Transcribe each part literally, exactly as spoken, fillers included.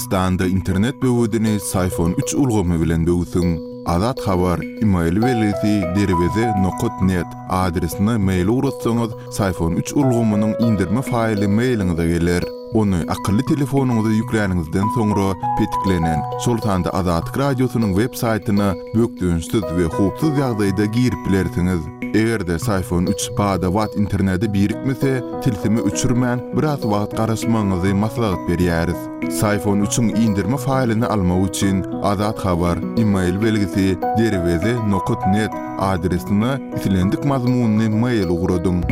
Türkmenistanda internet böwedini Syfon üç ulgamy bilen böwsüň. Azat Habar, email belgisi derweze nokat net adresine mail ugratsaňyz, Syfon üç ulgamynyň indirme faýly mailiňize geler. Ony akylly telefonyňyza ýükläniňizden soňra petiklenen, şol sanda Azatlyk Radiosynyň web saýtyna bökdençsiz we howpsuz ýagdaýda girip bilersiňiz. Eger-de Syfon üç bada-bat internete birikmese, tilsimi öçürmän biraz wagt garaşmagyňyzy maslahat berýäris. Syfon üçiň indirme faýlyny almak üçin Azat Habar, email belgisi derweze nokat net adresine islendik mazmunyny mail ugradyň.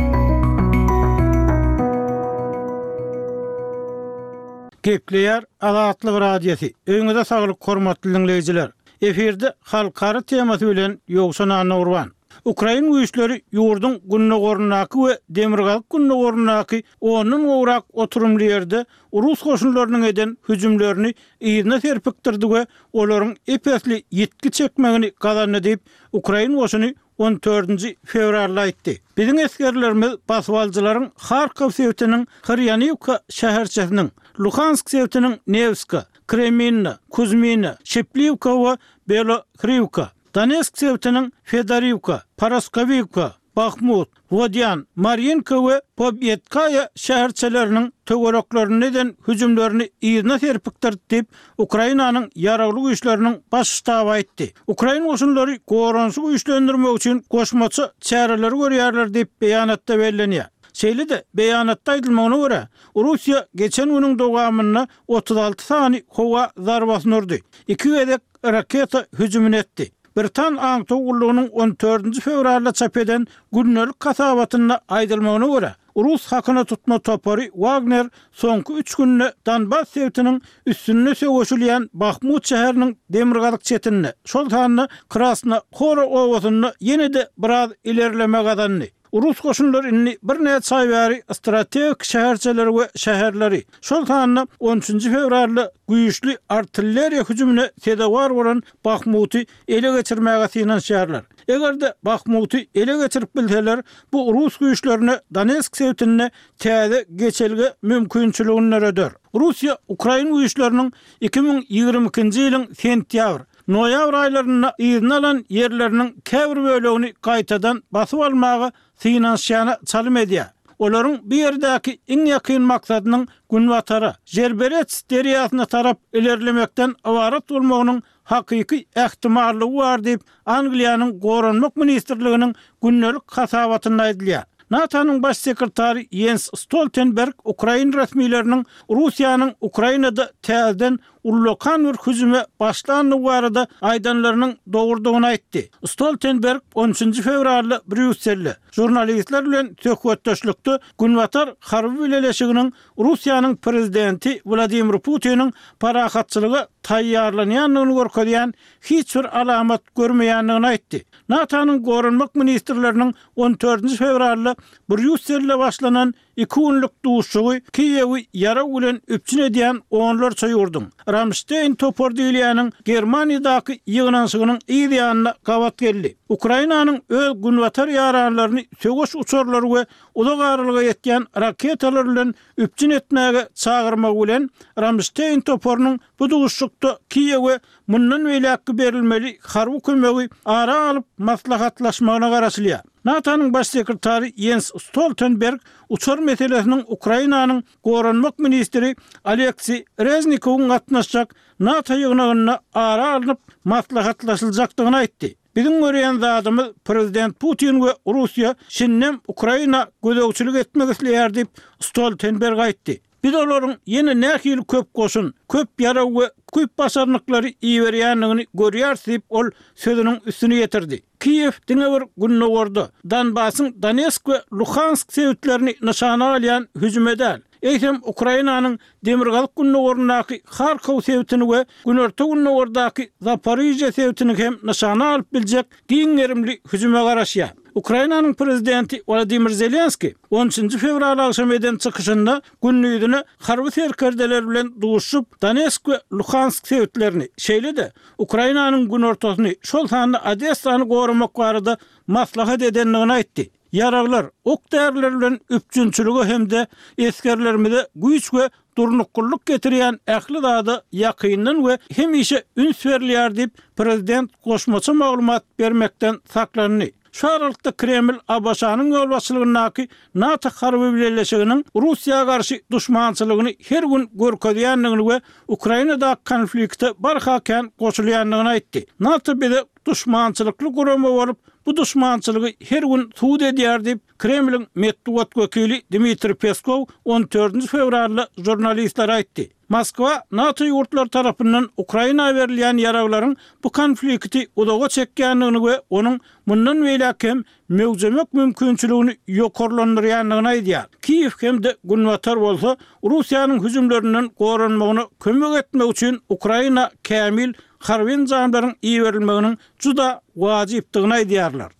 Gepleýär Azatlyk Radiosy. Öýüňize saglyk hormatly dinleýjiler. Efirde halkara temasy bilen Ýowşan Annagurban. Ukrain güýçleri ýurduň gündogaryndaky we demirgazyk gündogaryndaky ondan gowrak oturymly ýerde Rus goşunlarynyň eden hüjümlerini yzyna serpikdirdi we olaryň epesli ýitgi çekmegini gazandy diýip, Ukrain goşuny on dördünji fewralda aýtdy. Biziň esgerlerimiz basybalyjylaryň Harkov sebitiniň Hyrýaniwka şäherçesiniň, Luhansk sebitiniň Newska, Kreminna, Kuzmina, Şepliwka we Belohriwka, Donetsk sebitiniň Fedoriwka, Paraskowiwka, Bahmut, Wodýan, Marinka we Pobýedkaýa şäherçeleriniň töwereklerinde eden hüjümlerini yzyna serpikdirdi diýip, Ukrainanyň ýaragly güýçleriniň baş ştaby aýtdy. Ukrain goşunlary goranyşy güýçlendirmek üçin goşmaça çäreleri görýärler diýip beýanatda bellenýär. Şeýle-de beýanatda aýdylmagyna görä, Russiýa geçen günüň dowamynda otuz alty sany howa zarbasyny urdy, iki gezek raketa hüjümini etdi. Britan aňtaw gullugynyň on dördünji fewralda çap eden gündelik hasabatynda aýdylmagyna görä, Rus hakyna tutma topary Wagner soňky üç günde Donbass sebitiniň üstünde söweşilýän Bahmut şäheriniň demirgazyk çetinde, şol sanda Krasna Hora obasynda ýene-de biraz ilerleme gazandy. Rus goşunlary indi birnäçe aý bäri strategik şäherçeleri we şäherleri, şol sanda on üçünji fewralda güýçli artilleriýa hüjümine sezewar bolan Bahmuty ele geçirmäge synanyşýarlar. Eger-de Bahmuty ele geçirip bilseler, bu rus güýçlerine Donetsk sebitinde täze geçelge mümkinçiligini döreder. Russiýa ukrain güýçleriniň iki müň ýigrimi ikinji ýylyň sentýabr, noýabr aýlarynda yzyna alan ýerleriniň käbir bölegini gaýtadan basyp almaga synanyşýana çalym edýär. Olaryň bu ýerdäki iň ýakyn maksadynyň günbatara, Žerberets derýasyna tarap ilerlemekden ybarat bolmagynyň hakyky ähtimallygy bar diýip, Angliýanyň Goranmak ministrliginiň gündelik hasabatynda aýdylýar. NATO-nyň baş sekretary Jens Stoltenberg ukrain resmileriniň Russiýanyň Ukrainada täzeden ullakan bir hüjüme başlandygy barada aýdanlarynyň dogrudygyny aýtdy. Stoltenberg on üçünji fewralda Brýusselde žurnalistler bilen söhbetdeşlikde Günbatar harby bileleşiginiň Russiýanyň prezidenti Wladimir Putiniň parahatçylyga taýýarlanýandygyny görkezýän hiç bir alamat görmeýändigini aýtdy. NATO-nyň goranmak ministrleriniň on dördünji fewralda Brýusselde başlanan iki günlük duşuşygy Kiýewi ýarag bilen üpjün edýän onlarça ýurduň, Ramşteýn topary diýilýäniň Germaniýadaky ýygnanyşygynyň yz ýanyna gabat geldi. Ukrainanyň öz günbatar ýaranlaryny söweş uçarlary we uzak aralyga ýetýän raketalar bilen üpjün etmäge çagyrmagy bilen Ramşteýn toparynyň bu duşuşykda Kiýewe mundan beýläkki berilmeli harby kömegi ara alyp maslahatlaşmagyna garaşylýar. NATO-nyň baş sekretary Jens Stoltenberg uçar meselesiniň Ukrainanyň goranmak ministri Oleksiý Reznikowyň gatnaşjak NATO ýygnagynda ara alnyp maslahatlaşyljakdygyny aýtdy. Biziň görýän zadymyz prezident Putin we Russiýa şindem Ukraina gözegçilik etmek isleýär diýip, Stoltenberg aýtdy. Biz olaryň ýene nähili köp goşun, köp ýarag we köp başarnyklary iberýändigini görýäris diýip, ol sözüniň üstüni ýetirdi. Kiýew diňe bir gündogarda, Donbasyň Donetsk we Luhansk sebitlerini nyşana alýan hüjüme däl, eýsem Ukrainanyň demirgazyk-gündogaryndaky Harkow sebitini we günorta-gündogardaky Zaporižýa sebitini hem nyşana alyp biljek giň gerimli hüjüme garaşýar. Ukrainanyň prezidenti Wladimir Zelenskiý on üçünji fewral agşamy eden çykyşynda gündizine harby serkerdeler bilen duşuşyp, Donetsk we Luhansk sebitlerini, şeýle-de Ukrainanyň günortasyny, şol sanda Odessany goramak barada maslahat edendigini aýtdy. Ýaraglar, ok-däriler bilen üpjünçilige hem-de esgerlerimize güýç we durnuklylyk getirýän ähli zada ýakyndan we hemişe üns berilýär diýip, prezident goşmaça maglumat bermekden saklandy. Şu aralykda Kreml A B Ş-nyň ýolbaşçylygyndaky NATO harby bileleşiginiň Russiýa garşy duşmançylygyny her gün görkezýändigini we Ukrainadaky konflikte barha kän goşulýandygyny aýtdy. NATO bize duşmançylykly gurama bolup, bu duşmançylygy her gün subut edýär diýip, Kremliň metbugat wekili Dmitriý Peskow on dördünji fewralda žurnalistlere aýtdy. Moskwa NATO ýurtlary tarapyndan Ukraina berilýän ýaraglaryň bu konflikti uzaga çekýändigini we onuň mundan beýläk hem möwjemek mümkinçiligini ýokarlandyrýandygyny aýdýar. Kiýew hem-de Günbatar bolsa Russiýanyň hüjümlerinden goranmagyna kömek etmek üçin Ukraina kämil harby enjamlaryň iberilmeginiň juda wajypdygyny aýdýarlar.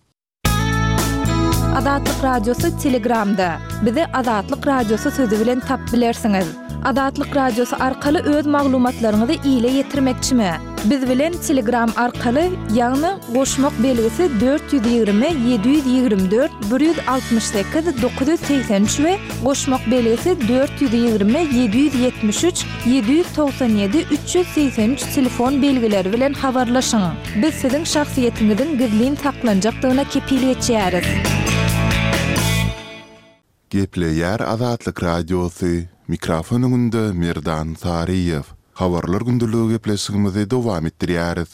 Azatlyk Radiosy Telegramda. Bizi Azatlyk Radiosy sözi bilen tapyp bilersiňiz. Azatlyk Radiosy arkaly öz maglumatlaryňyzy ile ýetirmekçimi? Biz bilen Telegram arkaly, ýagny goşmak belgisi dört ýüz ýigrimi ýedi ýüz ýigrimi dört bir ýüz altmyş sekiz dokuz ýüz segsen üç we goşmak belgisi dört ýüz ýigrimi ýedi ýüz ýetmiş üç ýedi ýüz togsan ýedi üç ýüz segsen üç telefon belgileri bilen habarlaşyň. Biz siziň şahsyýetiňiziň gizlin saklanjakdygyna kepil geçýäris. Gepleýär Azatlyk Radiosy. Mikrofon öňünde Merdan Saryýew. Habarlar gündeligi gepleşigimizi dowam etdirýäris.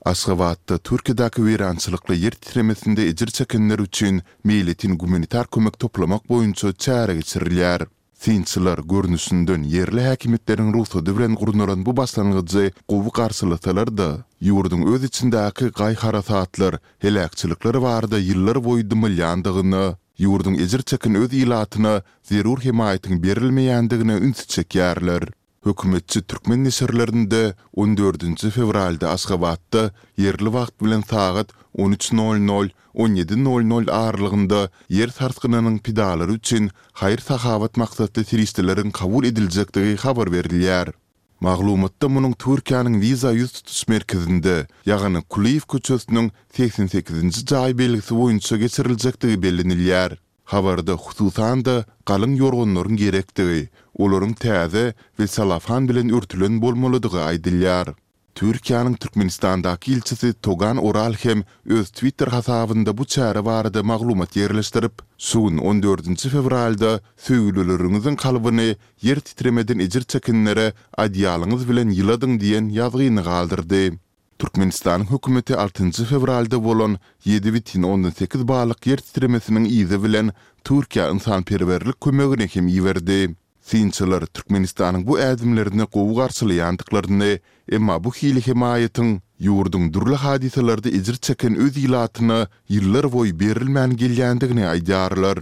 Aşgabatda Türkiýedäki weýrançylykly ýer titremesinde ejir çekenler üçin meýletin gumanitar kömek toplamak boýunça çäre geçirilýär. Synçylar görnüşinden ýerli häkimiýetleriň rugsady bilen gurnalan bu başlangyjy gowy garşylasalar-da, ýurduň öz içindäki gaý-harasatlar, heläkçilikler barada ýyllar boýy dymylýandygyna, ýurduň ejir çeken öz ilatyna zerur hemaýatyň berilmeýändigine ünsi çekýärler. Hökümetçi türkmen neşirlerinde on dördünji fewralda Aşgabatda ýerli wagt bilen sagat on üç nol nol on ýedi nol nol aralygynda ýer sarsgynynyň pidalary üçin haýyr-sahawat maksatly serişdeleriň kabul ediljekdigi habar berilýär. Maglumatda munuň Türkiýäniň wiza ýüz tutuş merkezinde, ýagny Kulyýew köçesiniň segsen sekizinji jaý belgisi boýunça geçiriljekdigi bellenilýär. Habarda hususan-da galyň ýorganlaryň gerekdigi, olaryň täze we selofan bilen örtülen bolmalydygy aýdylýar. Türkiýäniň Türkmenistandaky ilçisi Togan Oral hem öz Twitter hasabynda bu çäre barada maglumat ýerleşdirip, şu gün on dördünji fewralda söýgülileriňiziň kalbyny ýer titremeden ejir çekenlere adyýalyňyz bilen ýyladyň diýen ýazgyny galdyrdy. Türkmenistanyň hökümeti altynjy fewralda bolan ýedi bütin ondan sekiz ballyk ýer titremesiniň yzy bilen Türkiýä ynsanperwerlik kömegini hem iberdi. Synçylar Türkmenistanyň bu ädimlerini gowy garşylaýandyklaryny, emma bu hili hemaýatyň ýurduň dürli hadysalarda ejir çeken öz ilatyna ýyllar boýy berilmän gelýändigini aýdýarlar.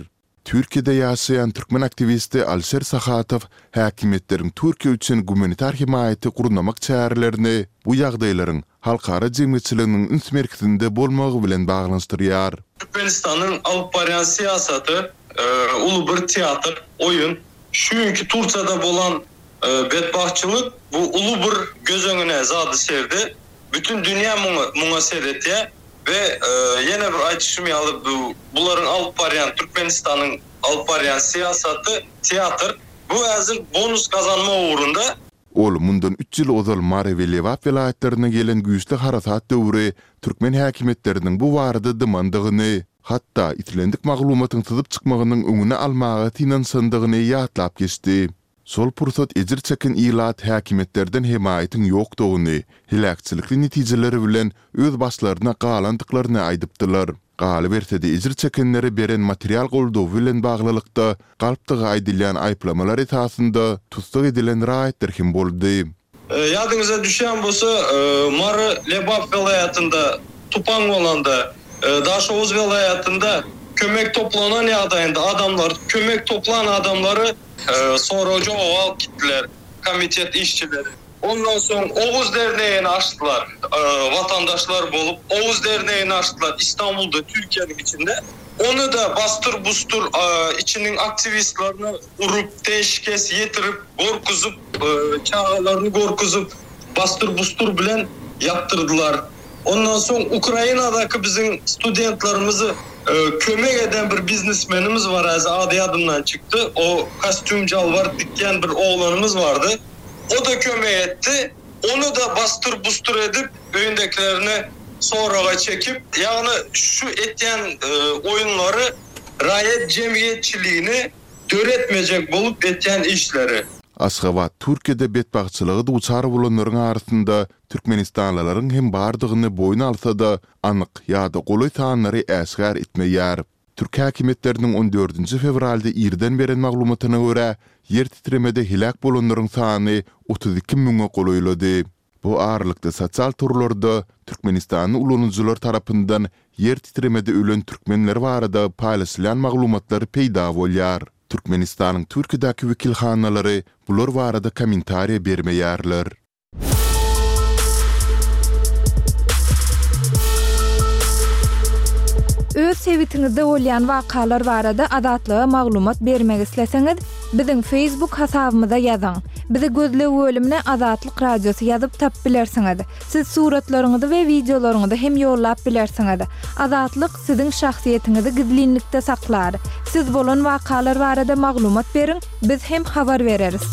Türkiýede ýaşaýan türkmen aktiwisti Alişer Sahatow häkimiýetleriň Türkiýe üçin gumanitar hemaýaty gurnamak çärelerini bu ýagdaýlaryň halkara jemgyýetçiliginiň üns merkezinde bolmagy bilen baglanyşdyrýar. Türkmenistanyň alyp barýan syýasaty uly bir teatr, oýun. Çünki Türkiýede bolan betbagtçylyk bu uly bir göz öňüne zady serdi. Bütün dünýä muňa, muňa seretýär we ýene bir aýdyşym ýaly, bu bularyň alyp barýan, Türkmenistanyň alyp barýan syýasaty teatr. Bu häzir bonus gazanma ugrunda. Ol mundan üç ýyl ozal Mary we Lebap welaýatlaryna gelen güýçli harasat döwri türkmen häkimiýetleriniň bu barada dymandygyny, hatda islendik maglumatyň syzyp çykmagynyň öňüni almaga synanyşandygyny ýatlap geçdi. Şol pursat ejir çeken ilat häkimiýetlerden hemaýatyň ýokdugyny, heläkçilikli netijeleri bilen öz başlaryna galandyklaryny aýdypdylar. Galyberse-de, ejir çekenlere beren material goldawy bilen baglylykda galpdygy aýdylýan aýyplamalar esasynda tussag edilen raýatlar hem boldy. Ýadyňyza düşýän bolsa, Mary, Lebap welaýatynda tupan bolanda, Daşoguz welaýatynda kömek toplanan ýagdaýynda adamlar, kömek toplan adamlary sorag-jogap alyp gitdiler komitet işçileri. Ondan soň Oguz derneğini açdylar. Watandaşlar bolup Oguz derneğini açdylar Istanbulda, Türkiýäniň içinde. Ony da basdyr busdur içiniň aktiwistlerini urup, teşkes ýetirip, gorkuzyp, çagalaryny gorkuzyp, basdyr busdur bilen ýapdyrdylar. Ondan soň Ukrainadaky biziň studentlerimizi Kömek eden bir biznesmenimiz bar häzir ady ýadymdan çykdy. O kostýum jalbar tikýän bir oglanymyz bardy. O-da kömek etdi. Ony-da basdyr-busdur edip, öýündekilerini soraga çekip, ýagny şu etýän oýunlary raýat jemgyýetçiligini döretmejek bolup etýän işleri. Aşgabat Türkiýede betbagtçylyga duçar bolanlaryň arasynda türkmenistanlylaryň hem bardygyny boýun alsa-da, anyk ýa-da golaý sanlary äşgär etmeýär. Türk häkimiýetleriniň on dördünji fewralda irden beren maglumatyna görä, ýer titremede heläk bolanlaryň sany otuz iki müňe golaýlady. Bu aralykda sosial torlarda türkmenistanly ulanyjylar tarapyndan ýer titremede ölen türkmenler barada paýlaşylýan maglumatlar peýda bolýar. Türkmenistanyň Türkiýedäki wekilhanalary bular barada kommentariýa bermeýärler. Öz sebitiňizde bolýan wakalar barada Azatlyga maglumat bermek isleseňiz, biziň Facebook hasabymyza ýazyň. Bizi gözleg bölümine Azatlyk Radiosy ýazyp tapyp bilersiňiz. Siz suratlaryňyzy we wideolaryňyzy hem ýollap bilersiňiz. Azatlyk siziň şahsyýetiňizi gizlinlikde saklar. Siz bolan wakalar barada maglumat beriň, biz hem habar bereris.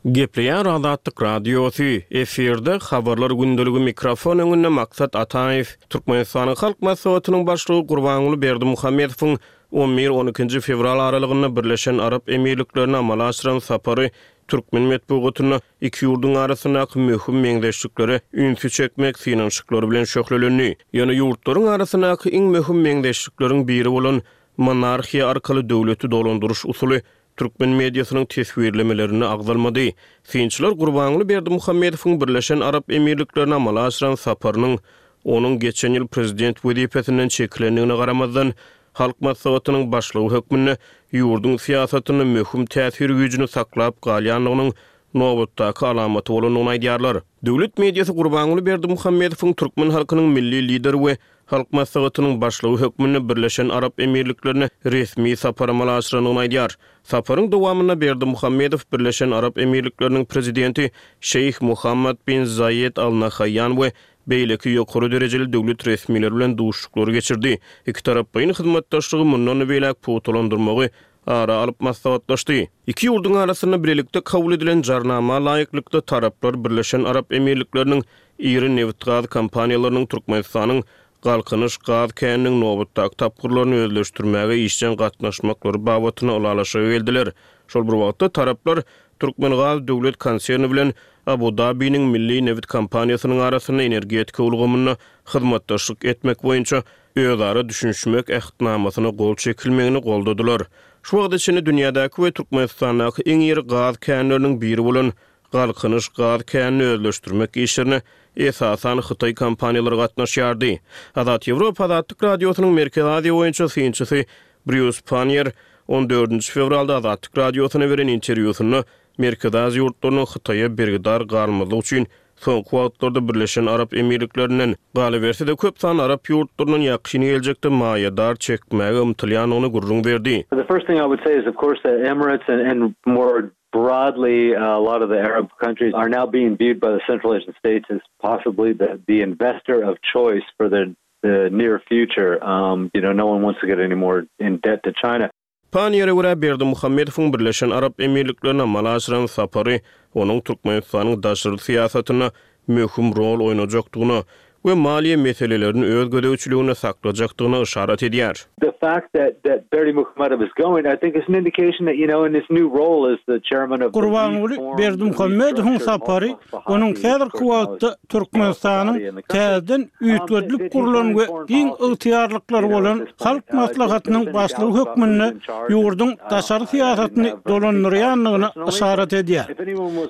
Gepleýär Azatlyk Radiosy, efirde habarlar gündeligi mikrofon öňünde Maksat Ataýew, Türkmenistanyň Halk Maslahatynyň başlygy Gurbanguly Berdimuhamedowyň on bir on ikinji fewral aralygynda Birleşen Arap Emirliklerine amala aşyran sapary türkmen metbugatynda iki ýurduň arasyndaky möhüm meňzeşliklere ünsi çekmek synanyşyklary bilen şöhlelendi. Ýöne ýurtlaryň arasyndaky iň möhüm meňzeşlikleriň biri bolan monarhiýa arkaly döwleti dolandyryş usuly türkmen mediasynyň teswirlemelerinde agzalmady. Synçylar Gurbanguly Berdimuhamedowyň Birleşen Arap Emirliklerine amala aşyran saparynyň onuň geçen ýyl prezident wezipesinden çekilendigine garamazdan Halk Maslahatynyň başlygy hökmünde ýurduň syýasatynda möhüm täsir güýjüni saklap galýandygynyň nobatdaky alamaty bolandygyny aýdýarlar. Döwlet mediasy Gurbanguly Berdimuhamedowyň türkmen halkynyň milli lideri we Halk Maslahatynyň başlygy hökmünde Birleşen Arap Emirliklerine resmi sapar amala aşyrandygyny aýdýar. Saparyň dowamynda Berdimuhamedow Birleşen Arap Emirlikleriniň prezidenti Şeýh Muhammad bin Zaýed Al Nahaýan we beýleki ýokary derejeli döwlet resmileri bilen duşuşyklary geçirdi. Iki taraplaýyn hyzmatdaşlygy mundan beýläk pugtalandyrmagy ara alyp maslahatlaşdy. Iki ýurduň arasynda birlikde kabul edilen jarnama laýyklykda taraplar Birleşen Arap Emirlikleriniň iri nebit-gaz kompaniýalarynyň Türkmenistanyň Galkynyş gaz käniniň nobatdaky tapgyrlaryny özleşdirmäge işjeň gatnaşmaklary babatynda ylalaşyga geldiler. Şol bir wagtda taraplar Türkmengaz döwlet konserni bilen Abu Dabiniň milli nebit kompaniýasynyň arasynda energetika ulgamynda hyzmatdaşlyk etmek boýunça özara düşünişmek ähtnamasyna gol çekilmegini goldadylar. Şu wagta çenli dünýädäki we Türkmenistandaky iň iri gaz känleriniň biri bolan Galkynyş gaz känini özleşdirmek işlerine esasan Hytaý kompaniýalary gatnaşýardy. Azat Ýewropa Azatlyk Radiosynyň Merkezi Aziýa boýunça synçysy Brýus Pannier on dördünji fewralda Azatlyk Radiosyna beren interwýusynda Merkezi Aziýa ýurtlarynyň Hytaýa bergidar galmazlyk üçin soňky wagtlarda Birleşen Arap Emirliklerinden, galyberse-de köp sanly Arap ýurtlaryndan ýakyn geljekde maýadar çekmäge ymtylýandygyny gürrüň berdi. The first thing I would say is of course the Emirates and, and more broadly a lot of the Arab countries are now being viewed by the Central Asian states as possibly the, the investor of choice for the, the near future. Um, you know, no one wants to get any more in debt to China. Panniýere görä Berdimuhamedowyň Birleşen Arap Emirliklerine amala aşyran sapary onuň Türkmenistanyň daşary syýasatynda möhüm rol oýnajakdygyna we maliýe meselelerini öz gözegçiliginde saklajakdygyna yşarat edýär. The fact that that Berdimuhamedow is going, I think is an indication that, you know, in his new role as the chairman of the Gurbanguly Berdimuhamedowyň sapary onuň häzirki wagtda Türkmenistanyň täzeden üýtgedilip gurlan we giň ygtyýarlyklary bolan Halk Maslahatynyň başlygy hökmünde ýurduň daşary syýasatyny dolandyrýandygyna yşarat edýär.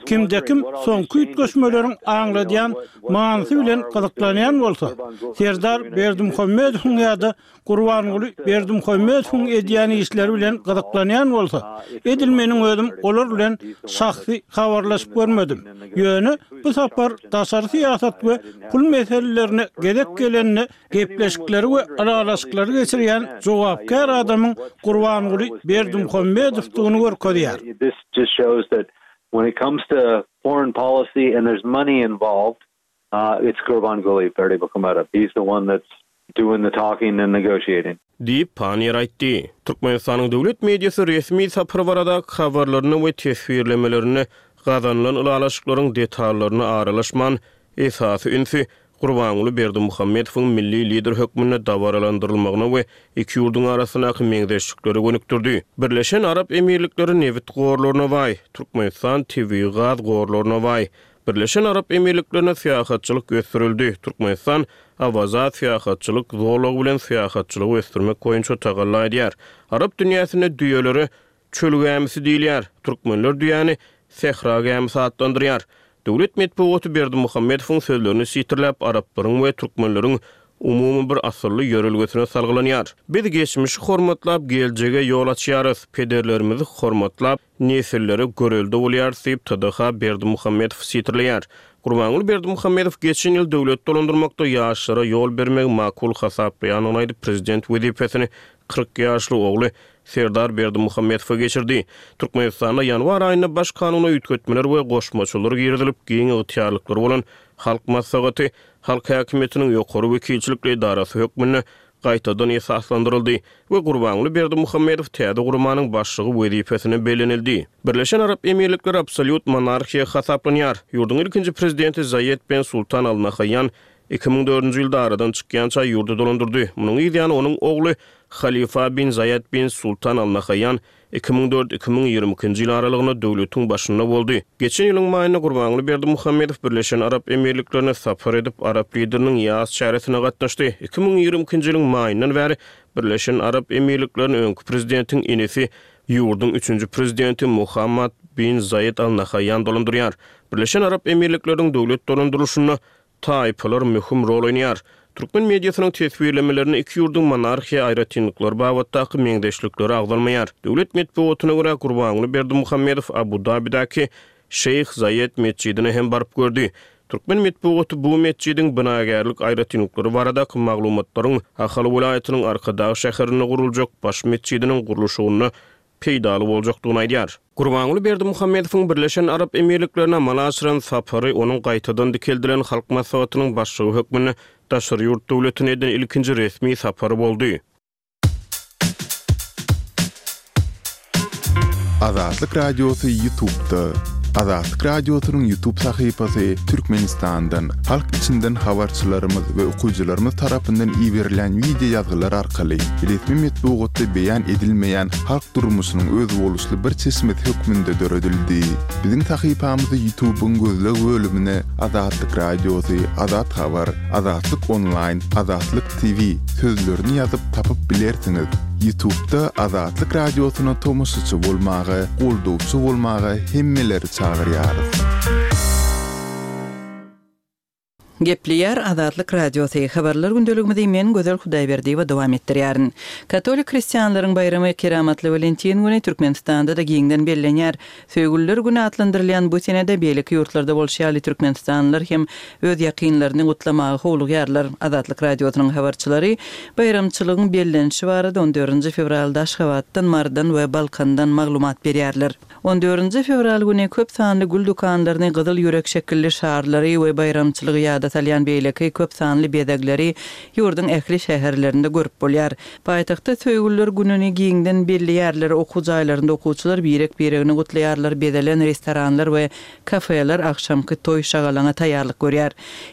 Kimde-kim soňky üýtgeşmeleriň aňladýan manysy bilen gyzyklanýan bolsa, Serdar Berdimuhamedowyň ýa-da Gurbanguly Berdimuhamedowyň edýän işleri bilen gyzyklanýan bolsa, edil meniň özüm olar bilen şahsy habarlaşyp görmedim. Ýöne bu sapar daşary syýasat we pul meselelerine gezek gelende gepleşikleri we ylalaşyklary geçirýän jogapkär adamyň Gurbanguly Berdimuhamedowdygyny görkezýär. This just shows that when it comes to foreign policy and there's money involved, It's Gurbanguly Berdimuhamedov. He's the one that's doing the talking and negotiating. Diýip, Panniýer aýtdy. Türkmenistanyň döwlet mediasy resmi sapar baradaky habarlarynda we teswirlemelerinde gazanylan ylalaşyklaryň detallaryna aralaşman, esasy ünsi Gurbanguly Berdimuhamedowyň milli lider hökmünde dabaralandyrylmagyna we iki ýurduň arasyndaky meňzeşliklere gönükdirdi. Birleşen Arap Emirlikleri nebit gorlaryna baý, Türkmenistan tebigy gaz gorlaryna baý. Birleşen Arap Emirliklerinde syýahatçylyk ösdürildi, Türkmenistan Awaza syýahatçylyk zolagy bilen syýahatçylygy ösdürmek boýunça tagalla edýär. Arap dünýäsinde düýelere çöl gämisi diýilýär, türkmenler düýäni sähra gämisi atlandyrýar. Döwlet metbugaty Berdimuhamedowyň sözlerini sitirläp, araplaryň we türkmenleriň umumy bir asylly ýörelgesine salgylanýar. Biz geçmişi hormatlap, geljege ýol açýarys, pederlerimizi hormatlap, nesillere görelde bolýarys diýip, T D H Berdimuhamedowy sitirleýär. Gurbanguly Berdimuhamedow geçen ýyl döwlet dolandyrmakda ýaşlara ýol bermegi makul hasaplaýandygyny aýdyp, prezident wezipesini kyrk ýaşly ogly Serdar Berdimuhamedowa geçirdi. Türkmenistanda ýanwar aýynda Baş kanuna üýtgetmeler we goşmaçalar girizilip, giň ygtyýarlyklary bolan Halk Maslahaty halk häkimiýetiniň ýokary wekilçilikli edarasy hökmünde gaýtadan esaslandyryldy we Gurbanguly Berdimuhamedow täze guramanyň başlygy wezipesine bellenildi. Birleşen Arap Emirlikleri absolýut monarhiýa hasaplanýar. Ýurduň ilkinji prezidenti Zaýed ben Sultan Al Nahaýýan iki müň dördünji ýylda aradan çykýança ýurdy dolandyrdy. Munuň yz ýany onuň ogly Halifa bin Zaýed bin Sultan Al Nahaýýan iki müň dört, iki müň ýigrimi ikinji ýyl aralygynda döwletiň başynda boldy. Geçen ýylyň maýynda Gurbanguly Berdimuhamedow Birleşen Arap Emirliklerine sapar edip, arap lideriniň ýas çäresine gatnaşdy. Iki müň ýigrimi ikinji ýylyň maýyndan bäri Birleşen Arap Emirlikleriniň öňki prezidentiň inisi, ýurduň üçünji prezidenti Muhammad bin Zaýed Al Nahaýýan dolandyrýar. Birleşen Arap Emirlikleriniň döwlet dolandyrylyşynda taýpalar möhüm rol oýnaýar. Türkmen mediasynyň teswirlemelerinde iki ýurduň monarhiýa aýratynlyklary babatdaky meňzeşlikleri agzalmaýar. Döwlet metbugatyna görä, Gurbanguly Berdimuhamedow Abu-Dabidäki Şeýh Zaýed metjidine hem baryp gördi. Türkmen metbugaty bu metjidiň binagärlik aýratynlyklary baradaky maglumatlaryň Ahal welaýatynyň Arkadag şäherinde guruljak baş metjidiniň gurluşygynda peýdaly boljakdygyny aýdýar. Gurbanguly Berdimuhamedowyň Birleşen Arap Emirliklerine amala aşyran sapary onuň gaýtadan dikeldilen Halk Maslahatynyň başlygy hökmünde daşary ýurt döwletine eden ilkinji resmi sapary boldy. Azatlyk Radiosy YouTube'da. Azatlyk Radiosynyň YouTube sahypasy Türkmenistandan, halk içinden habarçylarymyz we okyjylarymyz tarapyndan iberilen wideo ýazgylar arkaly resmi metbugatda beýan edilmeýän halk durmuşynyň özboluşly bir çeşmesi hökmünde döredildi. Biziň sahypamyzy YouTube'yň gözleg bölümine Azatlyk Radiosy, Azat Habar, Azatlyk Online, Azatlyk T V sözlerini ýazyp tapyp bilersiňiz. YouTube'da Azatlyk Radiosyna tomaşaçy bolmaga, goldawçy bolmaga hemmeleri çagyrýarys. Gepleýär Azatlyk Radiosy. Habarlar gündeligimizi men Gözel Hudaýberdiýewa dowam etdirýärin. Katolik hristianlaryň baýramy Keramatly Walentin güni Türkmenistanda-da giňden bellenýär. Söýgüliler güni atlandyrylýan bu senede beýleki ýurtlarda bolşy ýaly türkmenistanlylar hem öz ýakynlaryny gutlamaga howlugýarlar. Azatlyk Radiosynyň habarçylary baýramçylygyň bellenişi barada on dördünji fewralda Aşgabatdan, Marydan we Balkandan maglumat berýärler. On dördünji fewral güni köp sanly gül dükanlaryny gyzyl ýürek şekilli şarlary we baýramçylygy ýada salýan beýleki köp sanly bezegleri ýurduň ähli şäherlerinde görüp bolýar. Paýtagtda söýgüliler gününi giňden belleýärler, okuw jaýlarynda okuwçylar birek-biregini gutlaýarlar, bezelen restoranlar we kafeler agşamky toý şagalaňa taýýarlyk görýär.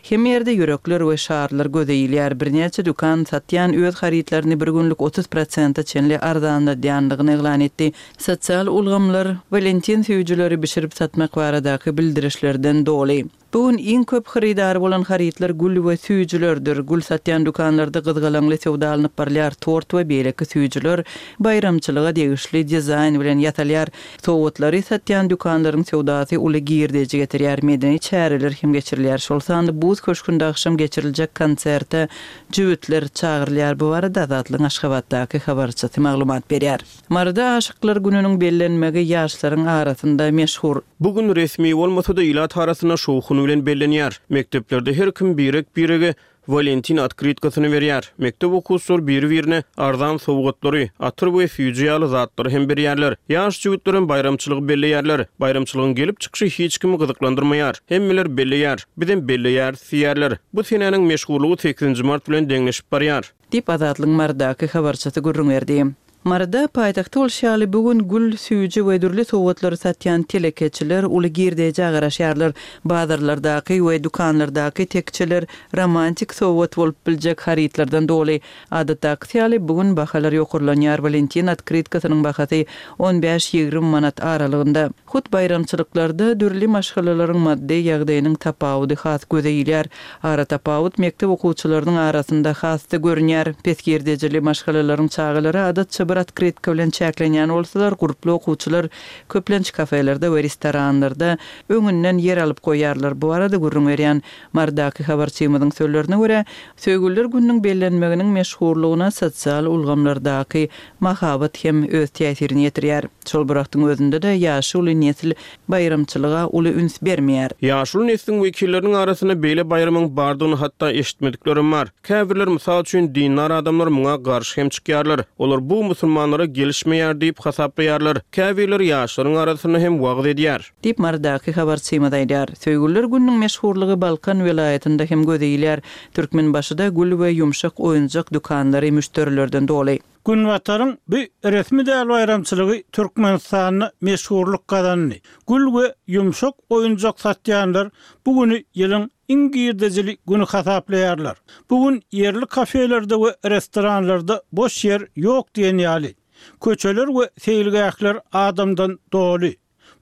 Hemme ýerde ýürekler we şarlar göze ilýär. Birnäçe dükan satýan öz harytlaryny bir günlük otuz prosente çenli arzanladýanlygyny yglan etdi. Sosial ulgamlar Walentin süýjüleri bişirip satmak baradaky bildirişlerden doly. Bu gün iň köp hyrydary bolan harytlar gül we süýjülerdir. Gül satýan dükanlarda gyzgalaňly söwda alnyp barylýar. Tort we beýleki süýjüler baýramçylyga degişli dizaýn bilen ýasalýar. Sowgatlary satýan dükanlaryň söwdasy uly girdeji getirýär. Medeni çäreler hem geçirilýär. Şol sanda Buz köşgünde agşam geçiriljek konserte jübütler çagyrylýar. Bu barada Azatlygyň Aşgabatdaky habarçysy maglumat berýär. Maryda aşyklar gününiň bellenmegi ýaşlaryň arasynda meşhur. Bu gün resmi bolmasa-da ilat arasynda şowhun bilen bellenýär. Mekdeplerde her kim birek-birege Walentin otkrytkasyny berýär. Mekdep okuwçylary biri-birine arzan sowgatlary, atyr we süýji ýaly zatlary hem berýärler. Ýaş jübütler baýramçylygy belleýärler. Baýramçylygyň gelip çykyşy hiç kimi gyzyklandyrmaýar. Hemmeler belleýär. Bizem belleýär, diýýärler. Bu senäniň meşhurlygy sekizinji mart bilen deňleşip barýar. Diýip Azatlygyň Marydaky habarçysy gürrüň berdi. Maryda paýtagtda bolşy ýaly bu gün gül, süýji we dürli sowgatlary satýan telekeçiler uly girdejä garaşýarlar. Bazarlardaky we dükanlardaky tekçeler romantik sowgat bolup biljek harytlardan doly. Adatdaky ýaly bu gün bahalar ýokarlanýar. Walentin otkrytkasynyň bahasy on bäş ýigrimi manat aralygynda. Hut baýramçylyklarda dürli maşgalalaryň maddy ýagdaýynyň tapawudy has göze ilýär. Ara tapawut mekdep okuwçylarynyň arasynda has-da görünýär. Pes girdejili maşgalalaryň çagalary adatça bir otkrytka bilen çäklenýän bolsalar, gurply okuwçylar köplenç kafelerde we restoranlarda öňünden ýer alyp goýarlar. Bu arada gürrüň berýän Marydaky habarçymyzyň sözlerine görä, Söýgüliler gününiň bellenmeginiň meşhurlygyna sosial ulgamlardaky mahabat hem öz täsirini ýetirýär. Şol bir wagtyň özünde-de ýaşuly nesil baýramçylyga uly üns bermeýär. Ýaşuly nesliň wekilleriniň arasynda beýle baýramyň bardygyny hatda eşitmediklerim bar. Käbirler mysal üçin dindar adamlar muňa garşy hem çykýarlar. Olar bu musulmanlara gelişmeýär diýip hasaplaýarlar. Käbirler ýaşlaryň arasynda hem wagyz edýär. Diýip Marydaky habarçymyz aýdýar. Söýgüliler gününiň meşhurlygy Balkan welaýatynda hem göze ilýär. Türkmenbaşyda gül we ýumşak oýunjak dükanlary müşderilerden doly. Günbataryň bu resmi däl baýramçylygy Türkmenistanda meşhurlyk gazandy. Gül we ýumşak oýunjak satýanlar bu günü ýylyň iň girdejili günü hasaplaýarlar. Bu gün ýerli kafelerde we restoranlarda boş ýer ýok diýen ýaly. Köçeler we seýilgähler adamdan doly.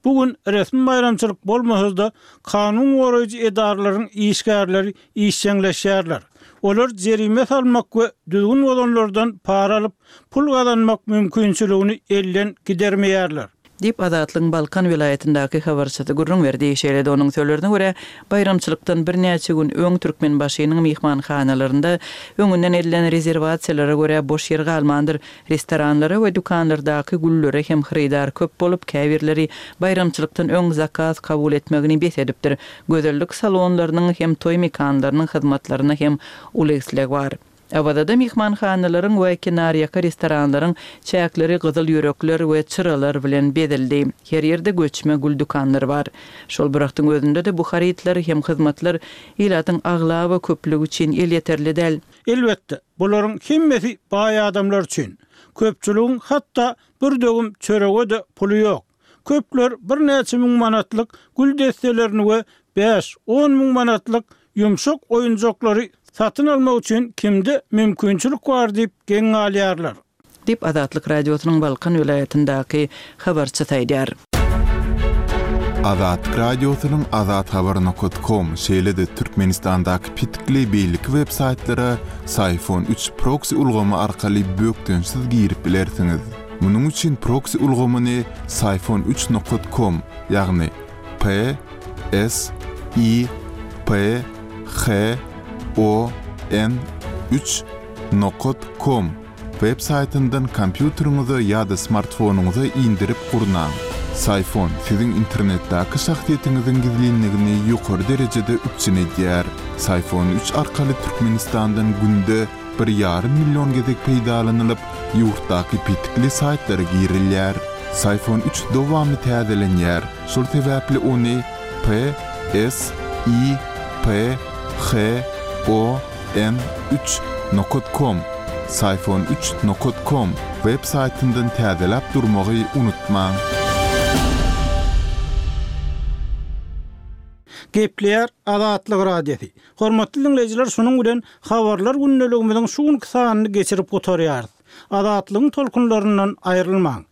Bu gün resmi baýramçylyk bolmasa-da kanun goraýjy edaralaryň işgärleri işjeňleşýärler. Olar jerime salmak we düzgün bozanlardan para alyp pul gazanmak mümkinçiligini elden gidermeýärler. Diýip Azatlygyň Balkan welaýatyndaky habarçysy gürrüň berdi. Şeýle-de onuň sözlerine görä, baýramçylykdan birnäçe gün öň Türkmenbaşynyň myhmanhanalarynda öňünden edilen rezerwasiýalara görä boş ýer galmandyr. Restoranlara we dükanlardaky güllere hem hyrydar köp bolup, käbirleri baýramçylykdan öň zakaz kabul etmegini bes edipdir. Gözellik salonlarynyň hem toý mekanlarynyň hyzmatlaryna hem uly isleg bar. Awazada myhmanhanalaryň we kenarýaka restoranlaryň çäkleri gyzyl ýürekler we çyralar bilen bezeldi. Her ýerde göçme gül dükanlary bar. Şol bir wagtyň özünde-de bu harytlar hem hyzmatlar ilatyň aglaba köplügi üçin elýeterli däl. Elbetde, bularyň hemmesi baý adamlar üçin. Köpçüligiň hatda bir döwüm çörege-de puly ýok. Köpler birnäçe müň manatlyk gül desselerini we bäş on müň manatlyk ýumşak oýunjaklary satyn almak üçin kimde mümkinçilik bar diýip geň galýarlar. Diýip Azatlyk Radiosynyň Balkan welaýatyndaky habarçysy aýdýar. Azatlyk Radiosynyň azathabar nokta com şeýle-de Türkmenistandaky petikli beýleki web saýtlara Syfon üç proxy ulgamy arkaly bökdençsiz girip bilersiňiz. Munuň üçin proxy ulgamyny Syfon üç nokta com, ýagny P S I P H O N üç nokta com web saýtyndan kompýuteriňize ýa-da smartfonyňyza indirip gurnaň. Syfon siziň internetdäki şahsyýetiňiziň gizlinligini ýokary derejede üpjün edýär. Syfon üç arkaly Türkmenistandan günde bir ýarym million gezek peýdalanylyp, ýurtdaky petikli saýtlara girilýär. Syfon üç dowamly täzelenýär. Şol sebäpli ony P S I P H O N üç nokta com, Syfon üç nokta com web saýtyndan täzeläp durmagy unutmaň. Gepleýär Azatlyk Radiosy. Hormatly dinleýjiler, şunuň bilen habarlar gündeligimiziň şu günki sanyny geçirip gutarýarys. Azatlygyň tolkunlaryndan aýrylmaň.